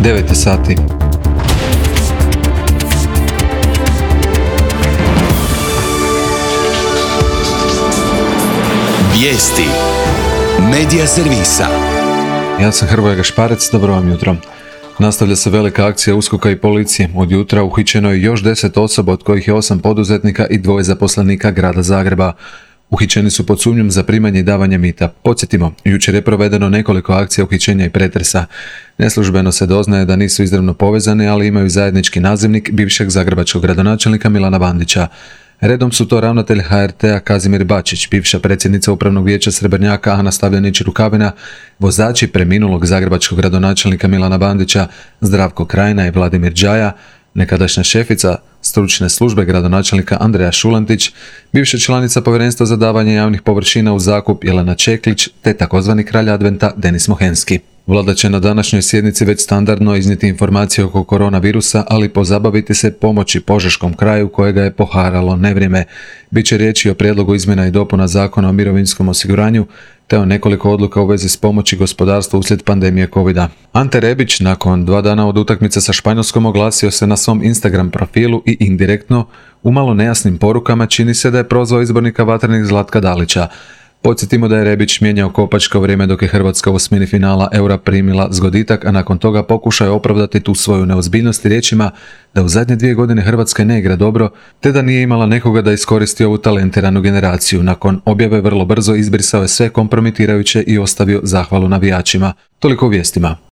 9 sati. Vijesti Medija servisa. Ja sam Hrvoje Gašparec, dobro vam jutro. Nastavlja se velika akcija USKOK-a i policije. Od jutra uhićeno je još 10 osoba, od kojih je 8 poduzetnika i 2 zaposlenika grada Zagreba. Uhićeni su pod sumnjom za primanje i davanje mita. Podsjetimo, jučer je provedeno nekoliko akcija uhićenja i pretresa. Neslužbeno se doznaje da nisu izravno povezani, ali imaju zajednički nazivnik bivšeg zagrebačkog gradonačelnika Milana Bandića. Redom su to ravnatelj HRT-a Kazimir Bačić, bivša predsjednica Upravnog vijeća Srebrnjaka Ana Stavljanić-Rukavina, vozači preminulog zagrebačkog gradonačelnika Milana Bandića Zdravko Krajina i Vladimir Đaja, nekadašnja šefica stručne službe gradonačelnika Andreja Šulantić, bivša članica povjerenstva za davanje javnih površina u zakup Jelena Čeklić, te takozvani kralj adventa Denis Mohenski. Vlada će na današnjoj sjednici već standardno iznijeti informacije oko koronavirusa, ali pozabaviti se pomoći Požeškom kraju kojega je poharalo nevrijeme. Biće riječi o prijedlogu izmjena i dopuna Zakona o mirovinskom osiguranju, te o nekoliko odluka u vezi s pomoći gospodarstvu uslijed pandemije covida. Ante Rebić nakon 2 dana od utakmice sa Španjolskom oglasio se na svom Instagram profilu i indirektno, umalo nejasnim porukama, čini se da je prozvao izbornika Vatrenih Zlatka Dalića. Podsjetimo da je Rebić mijenjao kopačka u vrijeme dok je Hrvatska u osmini finala Eura primila zgoditak, a nakon toga pokušao opravdati tu svoju neozbiljnost riječima da u zadnje 2 godine Hrvatska ne igra dobro, te da nije imala nekoga da iskoristi ovu talentiranu generaciju. Nakon objave vrlo brzo izbrisao je sve kompromitirajuće i ostavio zahvalu navijačima. Toliko u vijestima.